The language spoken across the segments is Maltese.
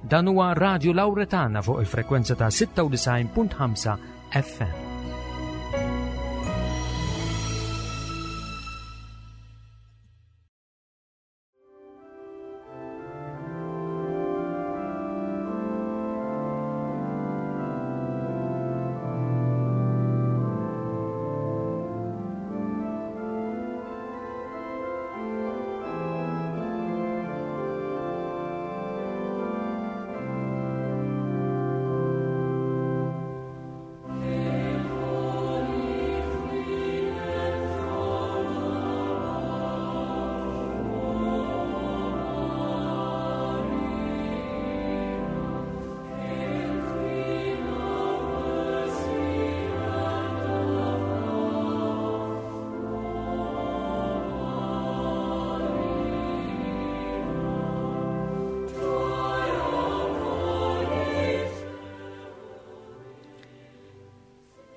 Dan huwa Radio Lauretana fuq il-frekwenza ta' 96.5 FM.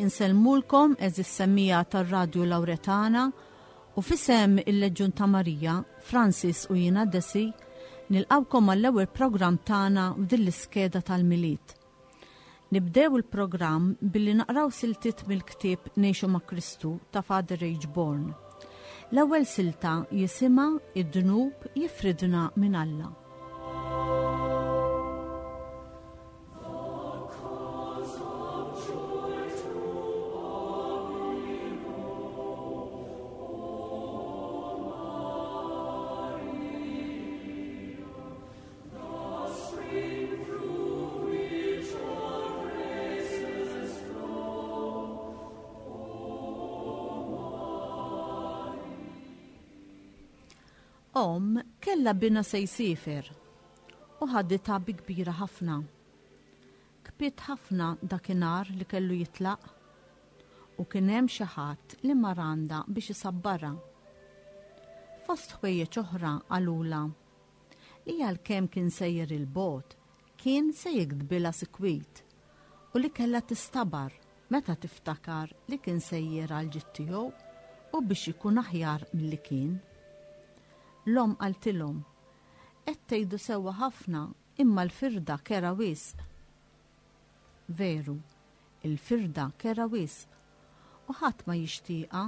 Insellmulkom eżis semmija tar-Radju Lauretana u fisem il-Leġjun ta' Marija, Francis u jiena Desi, nilqawkom għall-ewwel programm tagħna f'din l-iskeda tal-Milied. Nibdew il-programm billi naqraw siltiet mill-ktieb Ngħixu ma' Kristu ta' Father H. Bourne. L-ewwel silta jisimha Id-dnub jifridna minn Alla. Omm kellha binha se jsiefer u ħaditha bi kbira ħafna. Kpiet ħafna dakinhar li kellu jitlaq u kien hemm xi ħadd li mar għandha biex isabbarha. Fost ħwejjeġ oħra qalulha li għalkemm kien sejjer 'il bogħod, kien se jiktbilha sikwit u li kellha tistabar meta tiftakar li kien sejjer għall-ġid tiegħu u biex ikun aħjar milli kien. L-omm qaltilhom, Qed tgħidu sewwa ħafna imma l-firda kerha wisq. Veru, il-firda kerha wisq u ħadd ma jixtieqha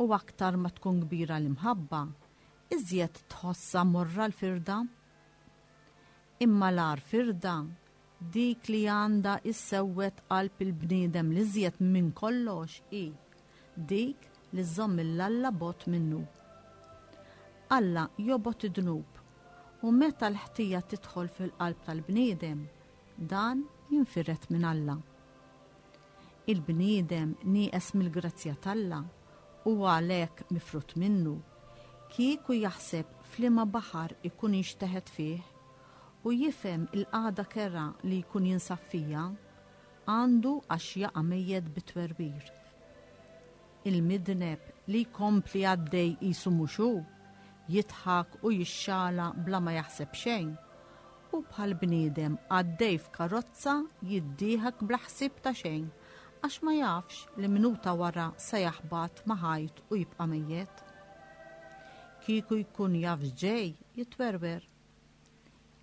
u aktar ma tkun kbira l-imħabba, iżjed tħossha morra l-firda. Imma l-agħar firda, dik li għandha issewwed qalb il-bniedem l-iżjed minn kollox hi dik li żżomm 'il Alla bogħod minnu. Alla jobgħod id-dnub, u meta l-ħtija tidħol fil-qalb tal-bniedem, dan jinfired minn Alla. Il-bniedem nieqes mill-grazzja t'Alla u għalhekk mifrud minnu, kieku jaħseb f'liema baħar ikun inxteħet fih u jifhem il-qagħda kerha li jkun jinsab fiha, għandu għax jaqa' mejjet bit-twerwir. Il-midneb li jkompli għaddej qisu mhux hu, jidħak u jixxala bla ma jaħseb xejn, Hu bħal bniedem għaddej f'karozza jiddieħek bla ħsieb ta' xejn għax ma jafx li minuta wara se jaħbat ma' ħajt u jibqa' mejjet. Kieku jkun jaf x'ġej jitwerwer.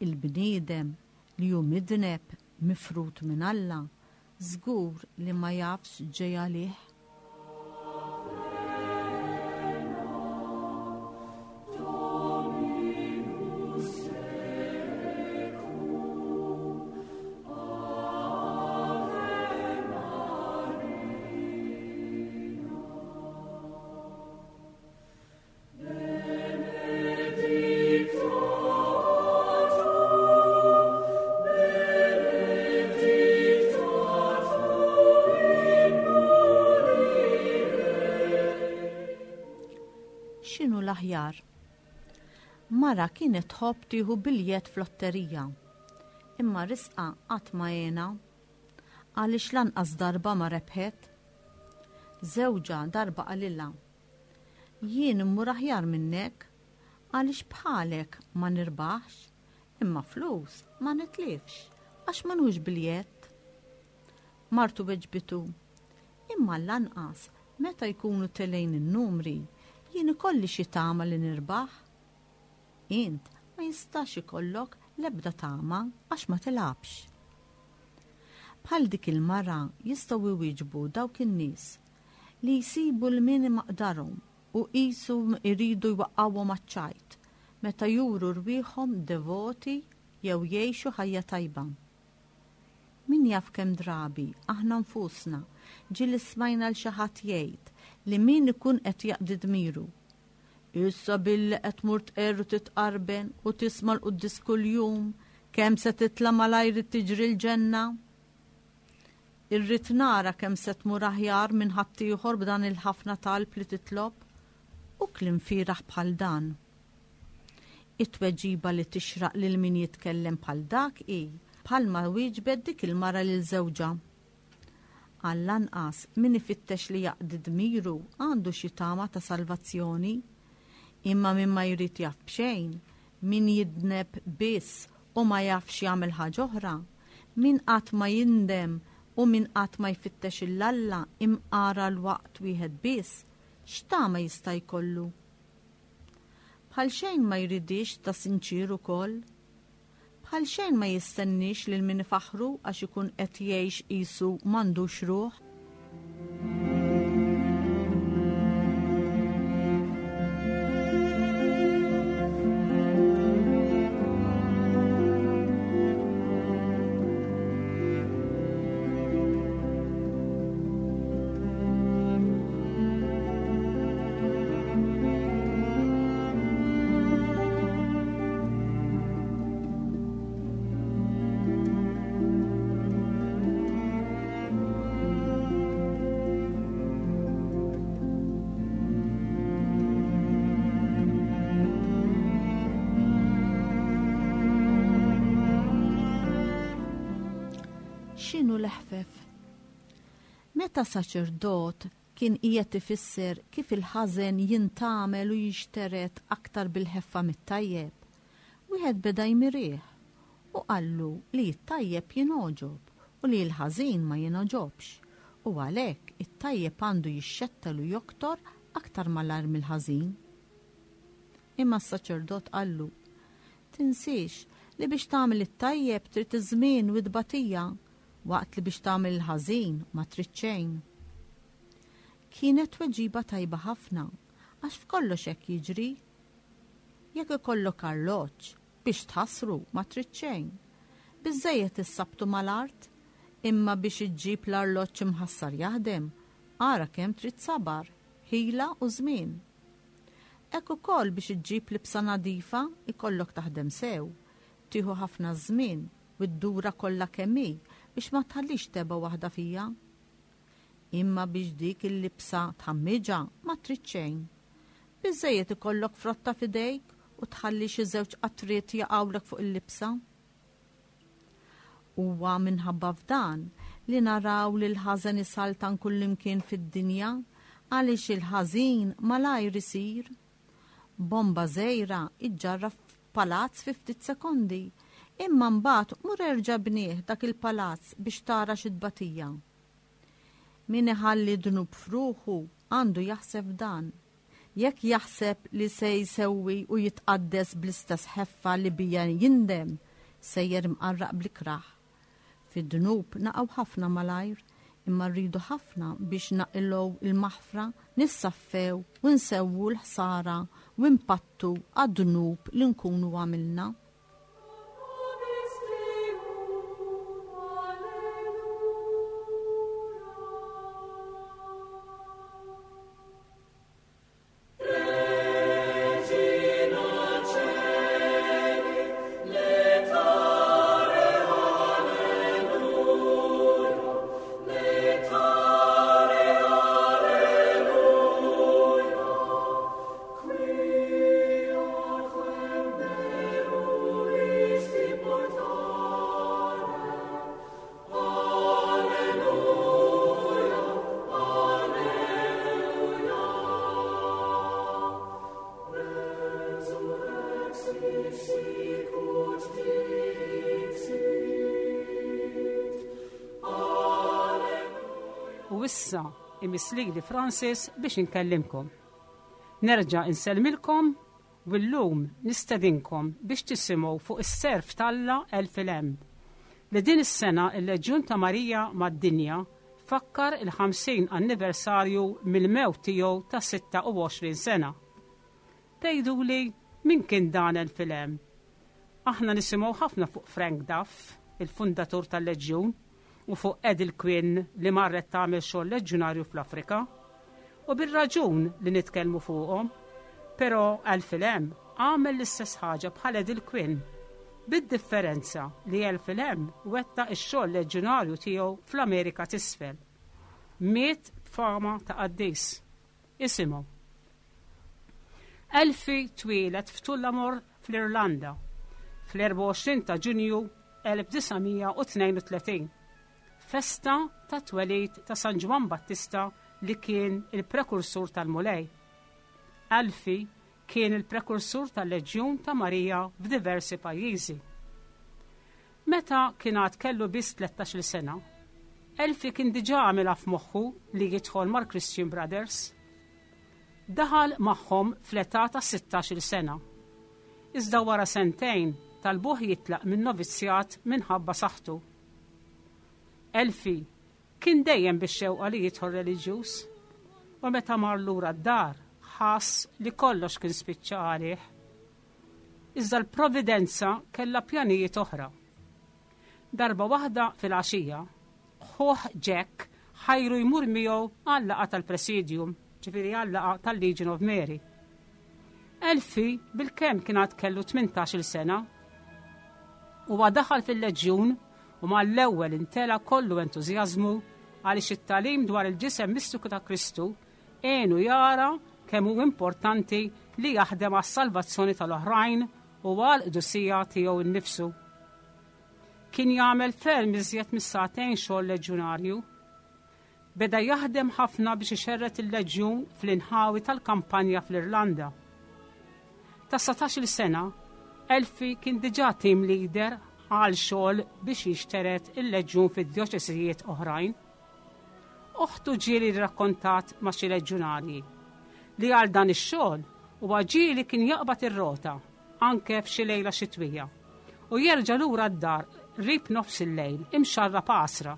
Il-bniedem li hu midneb mifrud minn Alla żgur li ma jafx x'ġej għalih. X'inhu l-aħjar? Mara kienet tħobb tieħu biljett f'lotterija. Imma risqa qatt ma għena. Għaliex lanqas darba ma rebħet. Żewġha darba qalilha, Jien immur aħjar minnek, għaliex bħalek ma nirbaħx, imma flus ma nitlifx, għax ma nħux biljett. Martu weġbitu, Imma lanqas meta jkunu telgħin in-numri, jien ikolli xi tama li nirbaħ. Int ma jistax ikollok L-ebda tama għax ma tilgħabx. Bħal dik il-mara jistgħu jwieġbu dawk in-nies li jsibu 'l min imaqdarhom u qisu jridu jwaqqgħuhom għaċ-ċajt meta juru rwieħhom devoti jew jgħixu ħajja tajba. Min jaf kemm drabi aħna nfusna ġieli smajna 'l xi ħadd jgħid li min ikun qed jaqdi dmiru, Issa billi qed tmur tqerr u titqarben u tisma' l-quddies kuljum, kemm se titla' malajr tiġri l-ġenna? Irrid nara kemm se tmur aħjar minn ħaddieħor b'dan il-ħafna talb li titlob, u kliem fieragħ bħal dan. It-tweġiba li tixraq lil min jitkellem bħal dak hi bħalma wieġbet dik il-mara lil żewġha. Għall-anqas, min ifittex li jaqdi dmiru għandu xi tama ta' salvazzjoni. Imma min ma jrid jaf b'xejn, min jidneb biss u ma jafx jagħmel ħaġa oħra, min qatt ma jindem u min qatt ma jfittex 'il Alla imqar għal waqt wieħed biss, x'tama jista' jkollu? Bħal xejn ma jridhiex ta' sinċier ukoll. Bħal xejn ma jistenniex lil min ifaħħru għax ikun qed jgħix qisu m'għandux ruħ. X'inhu l-eħfef? Meta saċerdot kien qiegħed ifisser kif il-ħażen jintgħamel u jinxtered aktar bil-ħeffa mit-tajjeb, wieħed beda jmirih u qallu li t-tajjeb jingħoġob u li l-ħażin ma jingħoġobx, u għalhekk it-tajjeb għandu jixxettel u joktor aktar malajr mill-ħażin. Imma s-saċerdot qallu, Tinsiex li biex tagħmel it-tajjeb trid iż-żmien u t-tbatija, waqt li biex tagħmel il-ħażin ma trid xejn. Kienet tweġiba tajba ħafna, għax f'kollox hekk jiġri. Jekk ikollok arloġġ, biex tħassru ma trid xejn. Biżżejjed issabtu mal-art, imma biex iġġib l-arloġġ imħassar jaħdem, ara kemm trid sabar, ħila u żmien. Hekk ukoll biex iġġib libsa nadifa jkollok taħdem sew, tieħu ħafna żmien u ddura kollha kemm hi biex ma tħallix tebgħa waħda fiha. Imma biex dik il-libsa tħammiġha ma trid xejn. Biżżejjed ikollok frotta f'idejk u tħalli xi żewġ qatriet jaqgħulek fuq il-libsa. Huwa minħabba f'dan li naraw li l-ħażen isaltan kullimkien fid-dinja għaliex il-ħażin malajr isir. Bomba żgħira ġġarraf palazz fi ftit sekondi, imma mbagħad mur erġa' bnieh dak il-palazz biex tara xi tbatija. Min iħalli dnub f'ruħu għandu jaħseb f'dan. Jekk jaħseb li se jsewwi u jitqaddes bl-istess ħeffa li biha jindem, sejjer imqarraq bl-ikrah. Fid-dnub naqgħu ħafna malajr, imma rridu ħafna biex naqilgħu l-maħfra, nissaffew u nsewwu l-ħsara u npattu għad-dnub li nkunu għamilna. U issa imiss lili Francis biex inkellimkom. Nerġa' insellmilkom. U llum nistedinkom biex tisimgħu fuq is-serv t'Alla Elfi Lamb, li din is-sena l-Leġjun ta' Marija mad-dinja fakkar il-50 anniversarju mill-mewt tiegħu ta' 26 sena. Tgħiduli min kien dan Elfi Lamb? Aħna nisimgħu ħafna fuq Frank Duff, il-fundatur tal-Leġjun, u fuq Edel Quinn li marret tagħmel xogħol leġjunarju fl-Afrika. U bir-raġun li nitkellmu fuqhom. Però Alfie Lamb għamel l-istess ħaġa bħal Edel Quinn. Bid-differenza li Alfie Lamb wettaq ix-xogħol leġjunarju tiegħu fl-Amerika t'Isfel. Miet b'fama ta' qaddis. Isimgħu. Alfie twieled f'Tullamore fl-Irlanda fl-24 ta' Ġunju 1932, festa tat-twelid ta' San Ġwann Battista li kien il-prekursur tal-Mulej. Alfie kien il-prekursur tal-Leġjun ta' Marija f'diversi pajjiżi. Meta kien għad kellu biss tlettax-il sena, Alfie kien diġà għamilha f'moħħu li jidħol mal-Christian Brothers. Daħal magħhom fl-età ta' sittax-il sena. Iżda wara sentejn talbuh jitlaq min-novizzjat minħabba saħħtu. Elfi kien dejjem bix-xewqa li jidħol reliġjuż u meta mar lura d-dar ħass li kollox kien spiċċa għalih. Iżda l-Providenza kellha pjanijiet oħra. Darba waħda filgħaxija, ħuh Jack ħajru jmur miegħu għal-laqgħa tal-Presidium, ġifieri għal-laqgħa tal-Legion of Mary. Elfi bilkemm kien għad kellu 18-il sena. Huwa daħal fil-leġjun u mal-ewwel intela kollu entużjażmu għaliex it-tagħlim dwar il-ġisem mistiku ta' Kristu għenu jara kemm hu importanti li jaħdem għas-salvazzjoni tal-oħrajn u għall-qdusija tiegħu nnifsu. Kien jagħmel ferm iżjed mis-sagħtejn xogħol leġjunarju. Beda jaħdem ħafna biex ixerred il-leġjun fl-inħawi tal-kampanja fl-Irlanda. Ta' 17-il sena, Elfi kien diġà team leader għal xogħol biex jixtered il-leġjun fi djoċesijiet oħrajn. Oħtu ġieli rrakkontat ma' xi leġjunarji li għal dan ix-xogħol huwa ġieli kien jaqbad ir-rota anke f'xi lejla xitwija u jerġa' lura d-dar qrib nofs il-lejl imxarrab għasra.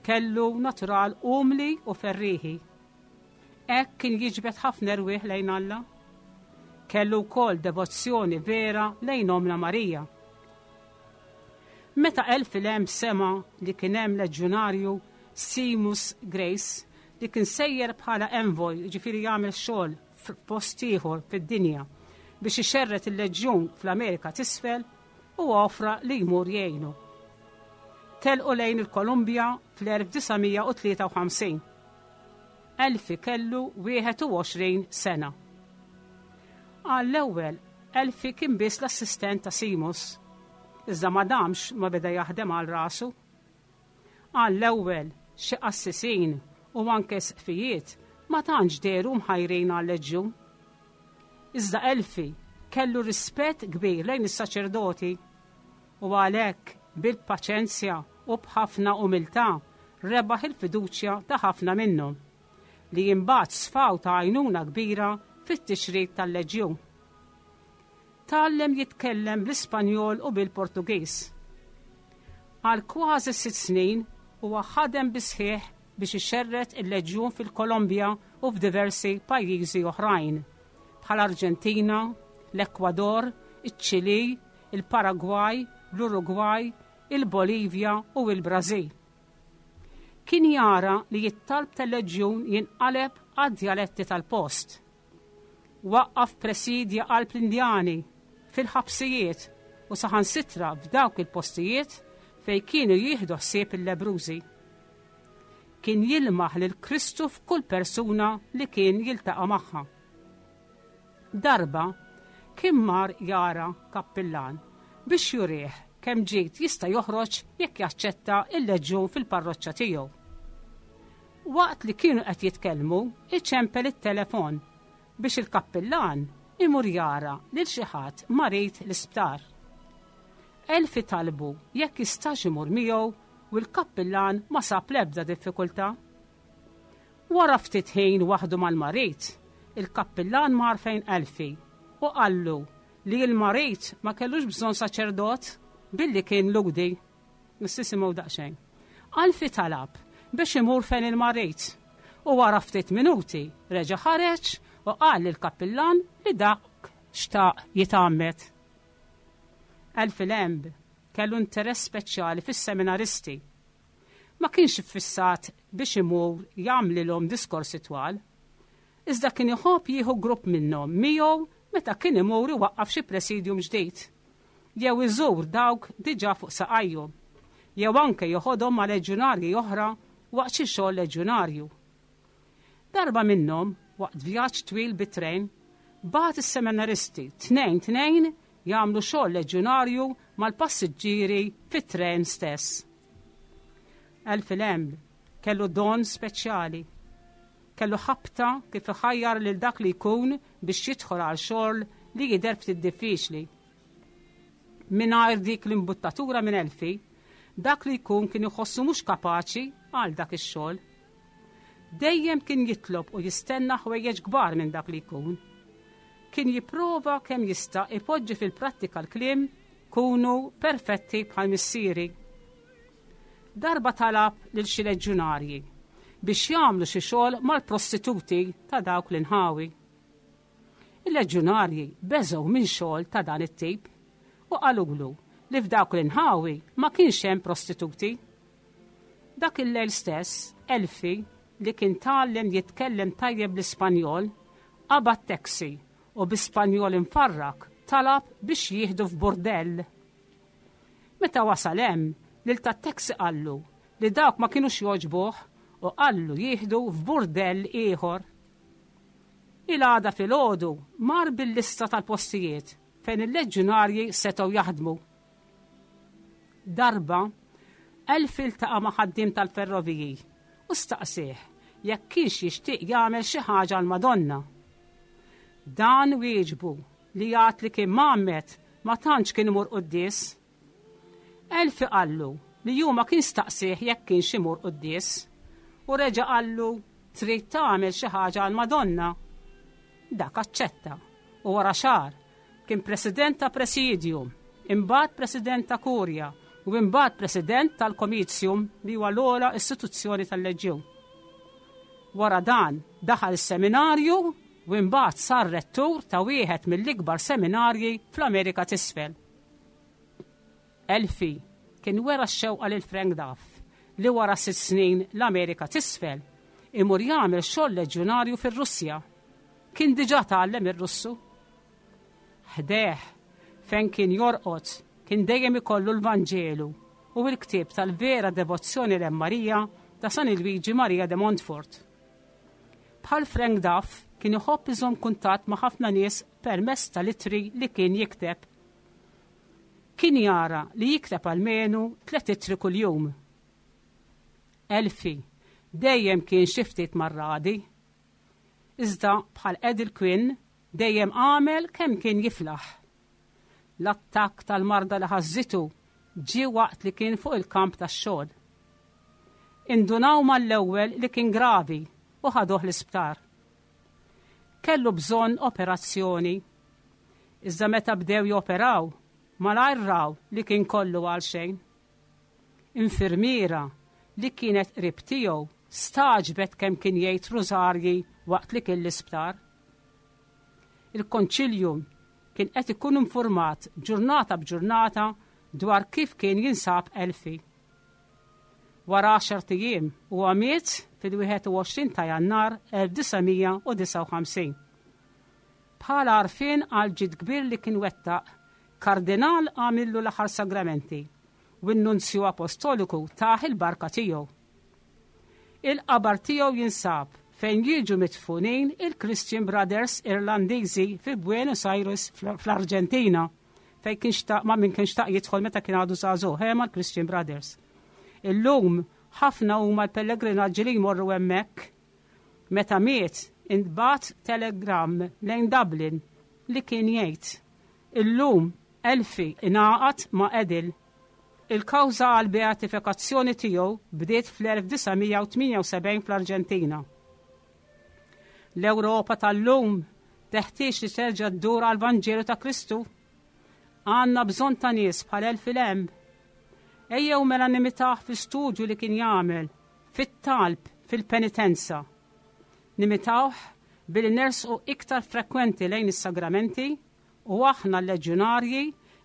Kellu natural umli u ferrieħi. Hekk kien jiġbed ħafna erwieħ lejn Alla. Kellu wkoll devozzjoni vera lejn Ommna Marija. Meta Elfilem sema' li kien hemm leġjunarju Seamus Grace li kien sejjer bħala envoy, jiġifieri jagħmel xogħol f'post ieħor fid-dinja biex ixerred il-leġjun fl-Amerika t'Isfel, huwa offra li jmur jgħinu. Telqu lejn il-Kolumbja fl-1953. Elfi kellu 21 sena. Għall-ewwel, Elfi kien biss l-assistent ta' Seamus, iżda ma damx ma beda jaħdem għal rasu. Għall-ewwel, xi qassisin u anke isqfijiet ma tantx dehru mħajrin għal-leġjun. Iżda Elfi kellu rispett kbir lejn is-saċerdoti u għalhekk bil-paċenzja u b'ħafna umiltà rebaħ il-fiduċja ta' ħafna minnhom, li imbagħad sfaw ta' għajnuna kbira fit-tixrid tal-leġjun. Tgħallem jitkellem bl-Ispanjol u bil-Portugiż. Għal kważi sitt snin huwa ħadem bis-sħiħ biex ixerred il-Leġjun fil-Kolombja u f'diversi pajjiżi oħrajn, bħall-Arġentina, l-Ekwador, iċ-Ċilì, il-Paragwaj, l-Urugwaj, il-Bolivja u l-Brażil. Kien jara li t-talb tal-Leġjun jinqaleb għad-djaletti tal-post. Waqqaf presidja qalb l-Indjani, fil-ħabsijiet u saħansitra f'dawk il-postijiet fejn kienu jieħdu ħsieb il-lebbrużi. Kien jilmaħ lil Kristu f'kull persuna li kien jiltaqa' magħha. Darba kien mar jara kappillan biex jurih kemm ġid jista' joħroġ jekk jaċċetta l-leġjun fil-parroċċa tiegħu. Waqt li kienu qed jitkellmu, iċempel it-telefon biex il-kappillan imur jara lil xi ħadd marid l-isptar. Elfi talbu jekk jistax imur miegħu u l-kappillan ma sab l-ebda diffikultà. Wara ftit ħin waħdu mal-marid, il-kappillan mar fejn Elfi. u qallu li l-marid ma kellux bżonn saċerdot billi kien Lhudi. Nissisimgħu daqsxejn. Alfie talab biex imur fejn il-marid u wara ftit minuti reġa' ħareġ u qal lill-kappillan li dak xtaq jitgħammed. Alfie Lamb kellu interess speċjali fis-seminaristi. Ma kienx iffissat biex imur jagħmlilhom diskorsi twal, iżda kien iħobb jieħu grupp minnhom miegħu meta kien imur iwaqqaf xi presidium ġdid, jew iżur dawk diġà fuq saqajhom, jew anke joħodhom ma' leġjunarji oħra waqt xi xogħol leġjunarju. Darba minnhom, waqt vjaġġ twil bit-trejn, bagħat is-seminaristi tnejn tnejn jagħmlu xogħol leġjunarju mal-passiġġieri fit-trejn stess. Alfie Lamb kellu don speċjali. Kellu ħabta kif iħajjar lil dak li jkun biex jidħol għal xogħol li jidher ftit diffiċli. Mingħajr dik l-imbuttatura minn Alfie, dak li jkun kien iħossu mhux kapaċi għal dak ix-xogħol. Dejjem kien jitlob u jistenna ħwejjeġ kbar minn dak li jkun. Kien jipprova kemm jista' ipoġġi fil-prattika l-kliem kunu perfetti bħal missieri. Darba talab lil xi leġjunarji biex jagħmlu xi xogħol mal-prostituti ta' dawk l-inħawi. Il-leġjunarji beżgħu minn xogħol ta' dan it-tip u qalulu li f'dawk l-inħawi ma kienx hemm prostituti. Dak il-lejl stess, Elfi, li kien tgħallem jitkellem tajjeb l-Ispanjol, qabad taxi u bi Spanjol imfarrak talab biex jieħdu f'burdell. Meta wasal hemm, lil tat-taxi qallu li dawk ma kinux jogħġbuh u qallu jieħdu f'burdell ieħor. Il-għada filgħodu mar bil-lista tal-postijiet fejn il-leġjunarji setgħu jaħdmu. Darba, Elfi ltaqa' ma' ħaddiem tal-ferroviji u staqsieh jekk kienx jixtieq jagħmel xi ħaġa għall-Madonna. Dan wieġbu li għad li kien mgħammed ma tantx kien imur quddies. Elfi qallu li hu ma kien staqsieh jekk kienx imur quddies u reġa' qallu trid tagħmel xi ħaġa għall-Madonna. Dak aċċetta u wara xahar kien president ta' presidium, imbagħad president ta' kurja u imbagħad president tal-Comitium li huwa l-ogħla istituzzjoni tal-Leġjun. Wara dan daħal is-seminarju u imbagħad sar rettur ta' wieħed mill-ikbar seminarji fl-Amerika t'Isfel. Elfi kien wera x-xewqa lil Frank Duff li wara 6 snin l-Amerika t'Isfel imur jagħmel xogħol leġjunarju fir-Russja. Kien diġà tgħallem ir-Russu. Ħdejh, fejn kien jorqod, kien dejjem ikollu l-Vanġelu u l-ktieb tal-Vera Devozzjoni lejn Marija ta' San Luigi Maria de Montfort. Bħal Frank Duff kien iħobb iżomm kuntatt ma' ħafna nies permezz tal-ittri li kien jikteb. Kien jara li jikteb almenu tliet ittri kuljum. Elfi dejjem kien xi ftit marradi. Iżda bħal Edel Quinn dejjem għamel kemm kien jiflaħ. L-attakk tal-marda li ħażżitu ġie waqt li kien fuq il-kamp tax-xogħol. Indunaw mal-ewwel li kien gravi u ħaduh l-isptar. Kellu bżonn operazzjoni. Iżda meta bdew joperaw, malajr raw li kien kollu għalxejn. Infirmiera li kienet qrib tiegħu stagħġbet kemm kien jgħid rużarji waqt li kien l-isptar. Il-Konċiljum kien qed ikun infurmat ġurnata b'ġurnata dwar kif kien jinsab Elfi. Wara għaxart ijiem huwa miet fil-21 ta' Jannar 1959. Bħala għarfien għal ġid kbir li kien wettaq, Kardinal għamillu l-aħħar sagramenti u n-Nunzju Apostoliku tah il-barka tiegħu. Il-qabar tiegħu jinsab fejn jiġu midfunin il-Christian Brothers Irlandiżi fi Buenos Aires fl-Arġentina, fejn kien xtaq ma' min kien xtaq jidħol meta kien għadu żagħżugħ, eh, mal-Christian Brothers. Illum ħafna huma l-pellegrinaġġi li jmorru hemmhekk. Meta miet, intbagħat telegramm lejn Dublin li kien jgħid, Illum Elfi ingħaqad ma' Edil. Il-kawża għall-beatifikazzjoni tiegħu bdiet fl-1978 fl-Arġentina. L-Ewropa tal-lum Teħtieġ li terġa' ddur għall-Vanġelu ta' Kristu. Għandna bżonn ta' nies bħal Elfi Lamb. Ejjew mela nimitah fl-istudju li kien jagħmel, fit-talb, fil-penitenza. Nimitawh billi nersqu iktar frekwenti lejn is-sagramenti u aħna l-leġjunarji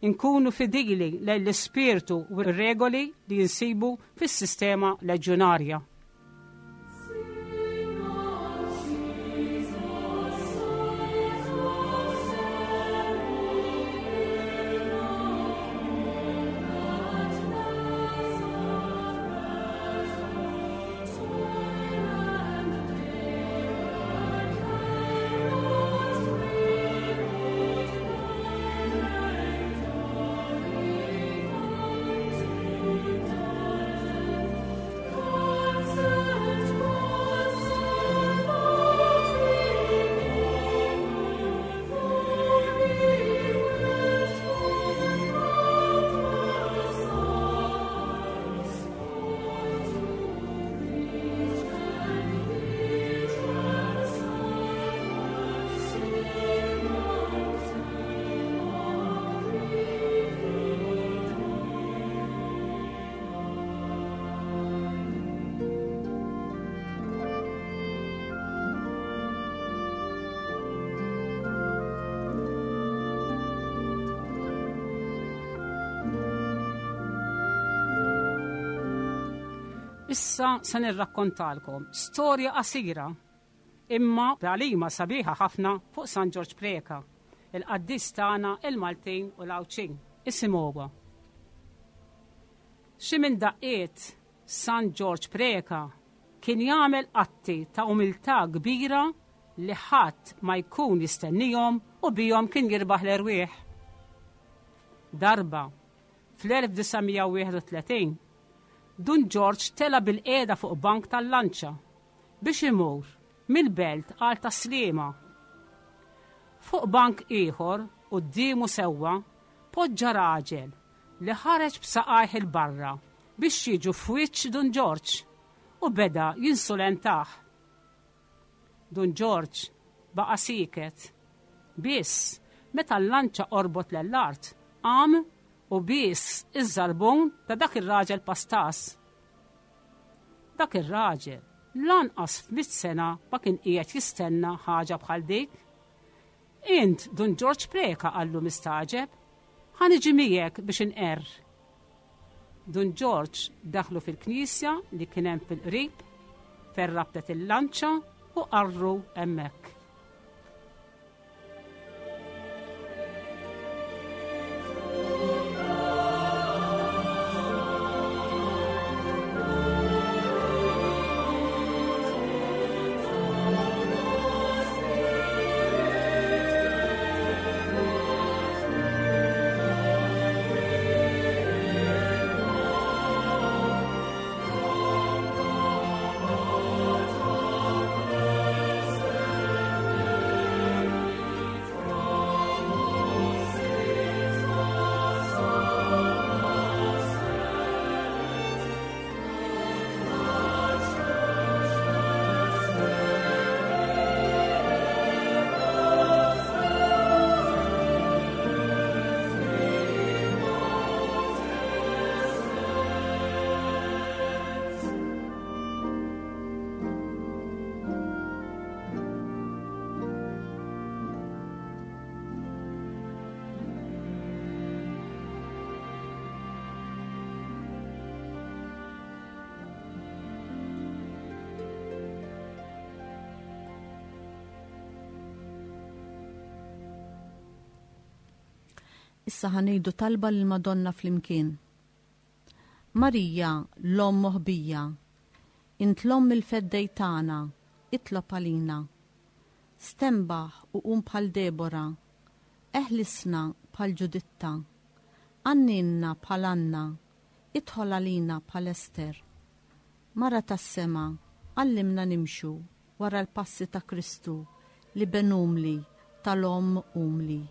nkunu fidili lejn l-ispirtu u r-regoli li jinsibu fis-sistema leġjunarja. Issa se nirrakkontalkom storja qasira imma tagħlima sabiħa ħafna fuq San Ġorġ Preca, il-qaddis tagħna il-Maltin u l-Għawdxin. Isimgħuha. Xi minn daqqiet San Ġorġ Preca kien jagħmel atti ta' umiltà kbira li ħadd ma jkun jistennihom u bihom kien jirbaħ l-erwieħ. Darba, fl-1931, Dun Ġorġ tela' bilqiegħda fuq bank tal-lanċa biex imur mill-Belt għal Tas-Sliema. Fuq bank ieħor quddiemu sewwa poġġa raġel li ħareġ b'saqajh 'il barra biex jiġu f'wiċċ Dun Ġorġ u beda jinsulentah. Dun Ġorġ baqa' sieket. Biss, meta l-lanċa qorbot lejn l-art, qam u bies iż-żarbun ta' dak ir-raġel pastas. Dak ir-raġel lanqas f'mitt sena ma kien qiegħed jistenna ħaġa bħal dik. Int Dun Ġorġ Preca qallu mistagħġeb, ħa niġi miegħek biex inqerr. Dun Ġorġ daħlu fil-knisja li kien hemm fil-qrib, fejn rabtet il-lanċa u qarru hemmhekk. Issa ħanejdu talba lil Madonna flimkien. Marija, l-Omm moħbija, int l-Omm il-Feddej tagħna, itlob għalina. Stenbaħ u qum bħal Debora, eħlisna bħal Ġuditta, għanninna bħal Anna, idħol għalina bħal Ester. Mara tas-sema, għallimna nimxu wara l-passi ta' Kristu, l-Iben umli tal-Omm umli.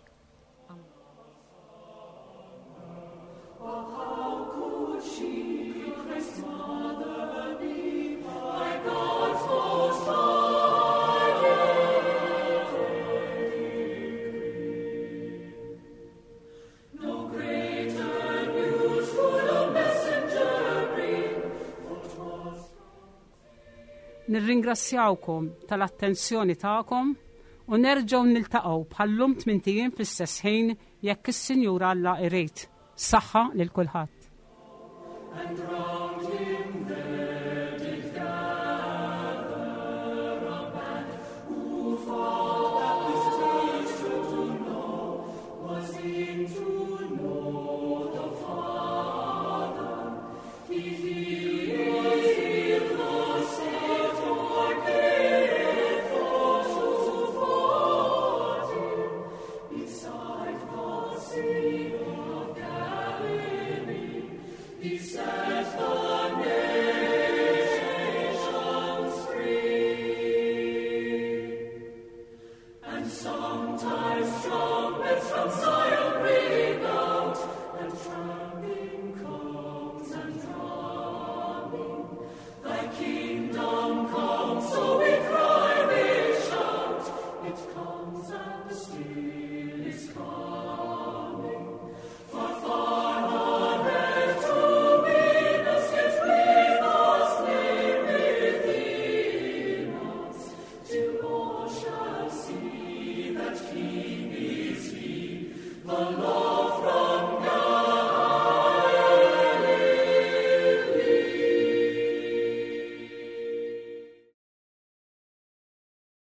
Nirringrazzjawkom tal-attenzjoni tagħkom u nerġgħu niltaqgħu bħallum tmintijiem fl-istess ħin jekk is-Sinjur Alla irid. Saħħa lil kulħadd. And round him there did gather a band who thought that this taste to know was in to know the Father. He healed the sick for cared for to fought him beside the Sea of Galilee. He set the